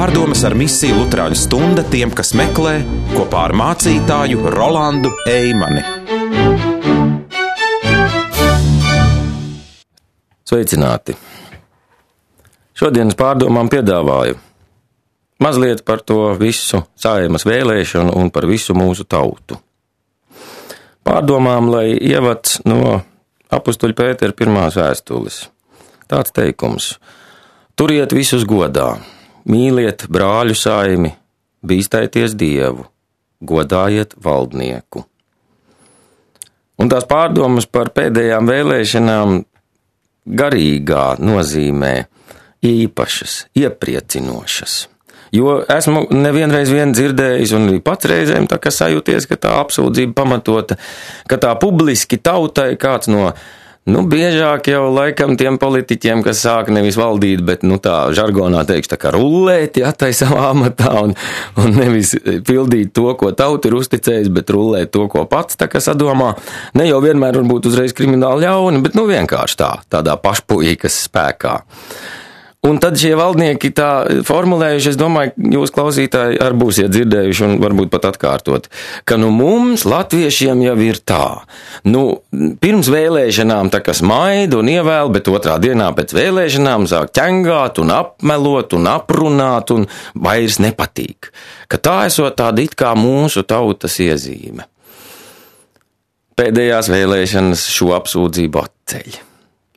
Pārdomas ar misiju Luterāņu stunda tiem, kas meklē, kopā ar mācītāju Rolandu Eimani. Sveicināti! Šodienas pārdomām piedāvāju mazliet par to visu Saeimas vēlēšanu un par visu mūsu tautu. Pārdomām, lai ievads no apustuļa Pētera pirmās vēstules. Tāds teikums: turiet visus godā, mīliet brāļu saimi, bīstaities Dievu, godājiet valdnieku. Un tās pārdomas par pēdējām vēlēšanām garīgā nozīmē īpašas, iepriecinošas. Jo esmu nevienreiz dzirdējis un pats reizēm tā kā sajūties, ka tā apsūdzība pamatota, ka tā publiski tautai kāds biežāk jau laikam tiem politiķiem, kas sāk nevis valdīt, bet tā žargonā teikšu tā kā rullēt, tai savā amatā un nevis pildīt to, ko tauta ir uzticējis, bet rullēt to, ko pats tā kā sadomā. Ne jau vienmēr varbūt uzreiz krimināli ļauni, bet vienkārši tādā pašpuīkas spēkā. Un tad šie valdnieki tā formulējuši, es domāju, jūs klausītāji arī būsiet dzirdējuši un varbūt pat atkārtot, ka mums latviešiem jau ir tā. Pirms vēlēšanām tā kā smaida un ievēl, bet otrā dienā pēc vēlēšanām sāk ķengāt un apmelot un aprunāt un vairs nepatīk. Ka tā esot tāda it kā mūsu tautas iezīme. Pēdējās vēlēšanas šo apsūdzību atceļ.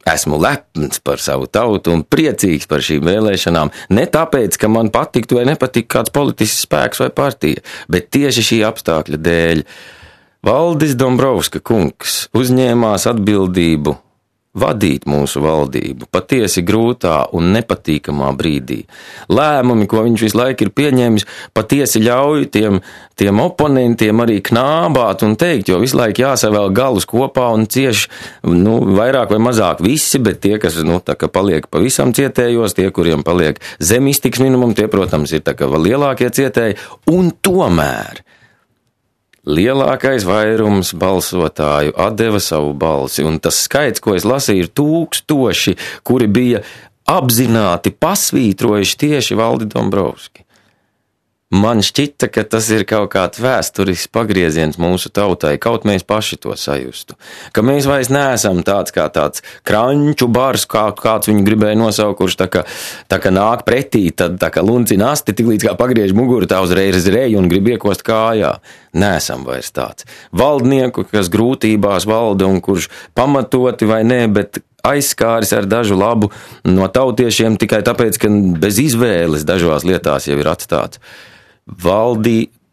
Esmu lepns par savu tautu un priecīgs par šīm vēlēšanām, ne tāpēc, ka man patiktu vai nepatiktu kāds politisks spēks vai partija, bet tieši šī apstākļa dēļ. Valdis Dombrovska kungs uzņēmās atbildību vadīt mūsu valdību patiesi grūtā un nepatīkamā brīdī. Lēmumi, ko viņš visu laiku ir pieņēmis, patiesi ļauj tiem oponentiem arī knābāt un teikt, jo visu laiku jāsavēl galus kopā un cieši, vairāk vai mazāk visi, bet tie, kas, tā kā paliek pavisam cietējos, tie, kuriem paliek zem iztiks minimum, tie, protams, ir tā kā vēl lielākie cietēji, un tomēr lielākais vairums balsotāju atdeva savu balsi, un tas skaits, ko es lasīju, ir 1000, kuri bija apzināti pasvītrojuši tieši Valdi Dombrovski. Man šķita, ka tas ir kaut kāds vēsturisks pagrieziens mūsu tautai, kaut mēs paši to sajustu. Ka mēs vairs neesam tāds kā tāds kranču bars, kāds viņu gribēja nosaukt, kurš tā kā nāk pretī, tad tā kā luncina asti, tik līdz kā pagriež muguru, tā uzreiz reju un grib iekost kājā. Neesam vairs tāds. Valdnieku, kas grūtībās valda un kurš pamatoti vai nē, bet aizskāris ar dažu labu no tautiešiem tikai tāpēc, ka bez izvēles dažās lietās jau ir atstāts.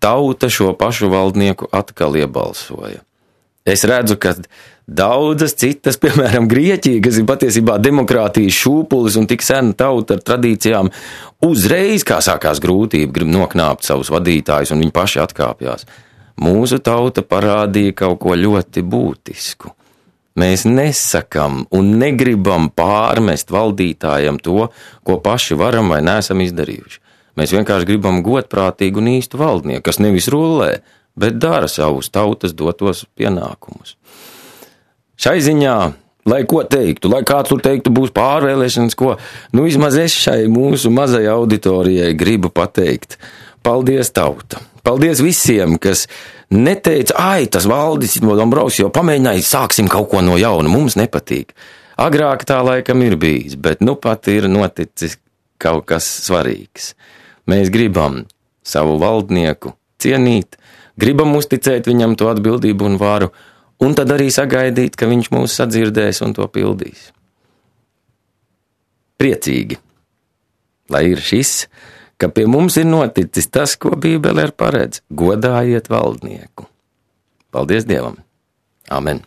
Tauta šo pašu valdnieku atkal iebalsoja. Es redzu, ka daudzas citas, piemēram, Grieķija, kas ir patiesībā demokrātijas šūpulis un tik sena tauta ar tradīcijām, uzreiz, kā sākās grūtība, grib noknāpt savus vadītājus un viņi paši atkāpjās. Mūsu tauta parādīja kaut ko ļoti būtisku. Mēs nesakam un negribam pārmest valdītājiem to, ko paši varam vai neesam izdarījuši. Mēs vienkārši gribam godprātīgu un īstu valdnieku, kas nevis rullē, bet dara savus tautas dotos pienākumus. Šai ziņā, lai ko teiktu, lai kāds tur teiktu būs pārvēlēšanas, ko, vismaz es šai mūsu mazai auditorijai gribu pateikt. Paldies, tauta! Paldies visiem, kas neteica, tas Valdis Dombrovskis jau pamēģināja, sāksim kaut ko no jauna, mums nepatīk. Agrāk tā laikam ir bijis, bet pat ir noticis kaut kas svarīgs. Mēs gribam savu valdnieku cienīt, gribam uzticēt viņam to atbildību un varu, un tad arī sagaidīt, ka viņš mūs sadzirdēs un to pildīs. Priecīgi, lai ir šis, ka pie mums ir noticis tas, ko Bībele paredz: godājiet valdnieku. Paldies Dievam! Amen!